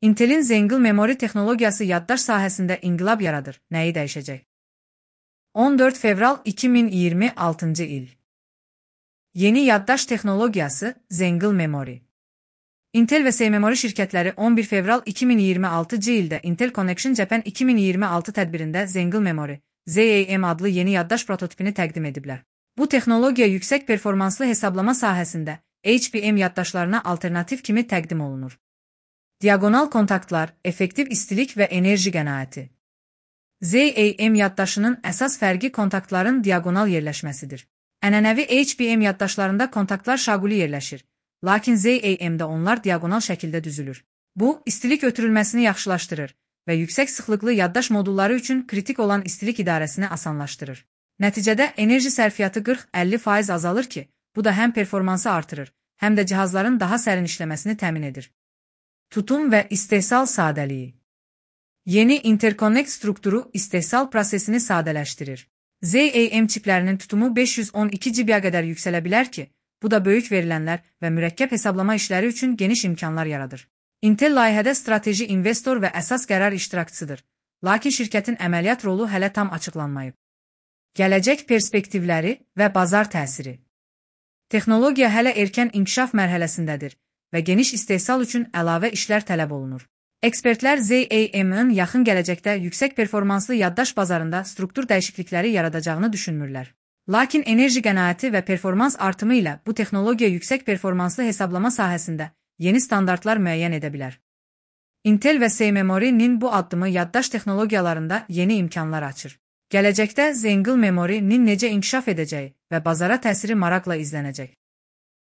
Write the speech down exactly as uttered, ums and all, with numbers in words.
Intel'in Zengil memori texnologiyası yaddaş sahəsində inqilab yaradır. Nəyi dəyişəcək? on dörd fevral iki min iyirmi altıncı il. Yeni yaddaş texnologiyası Zengil memori. Intel və SeaMemory şirkətləri on bir fevral iki min iyirmi altıncı ildə Intel Connection Japan iki min iyirmi altı tədbirində Zengil Memory Z A M adlı yeni yaddaş prototipini təqdim ediblər. Bu texnologiya yüksək performanslı hesablama sahəsində H B M yaddaşlarına alternativ kimi təqdim olunur. Diagonal kontaktlar, effektiv istilik və enerji qənaəti. Z A M yaddaşının əsas fərqi kontaktların diagonal yerləşməsidir. Ənənəvi H B M yaddaşlarında kontaktlar şaquli yerləşir, lakin Z A M'də onlar diagonal şəkildə düzülür. Bu, istilik ötürülməsini yaxşılaşdırır və yüksək sıxlıqlı yaddaş modulları üçün kritik olan istilik idarəsini asanlaşdırır. Nəticədə enerji sərfiyyatı qırx əlli faiz azalır ki, bu da həm performansı artırır, həm də cihazların daha sərin işləməsini təmin edir. Tutum və istehsal sadəliyi. Yeni interconnect strukturu istehsal prosesini sadələşdirir. Z A M çiplərinin tutumu beş yüz on iki giqaya qədər yüksələ bilər ki, bu da böyük verilənlər və mürəkkəb hesablama işləri üçün geniş imkanlar yaradır. Intel layihədə strateji investor və əsas qərar iştirakçısıdır, lakin şirkətin əməliyyat rolu hələ tam açıqlanmayıb. Gələcək perspektivləri və bazar təsiri. Texnologiya hələ erkən inkişaf mərhələsindədir və geniş istehsal üçün əlavə işlər tələb olunur. Ekspertlər Z A M'ın yaxın gələcəkdə yüksək performanslı yaddaş bazarında struktur dəyişiklikləri yaradacağını düşünmürlər. Lakin enerji qənaəti və performans artımı ilə bu texnologiya yüksək performanslı hesablama sahəsində yeni standartlar müəyyən edə bilər. Intel və SeaMemory-nin bu addımı yaddaş texnologiyalarında yeni imkanlar açır. Gələcəkdə Zengil Memory-nin necə inkişaf edəcəyi və bazara təsiri maraqla izlənəcək.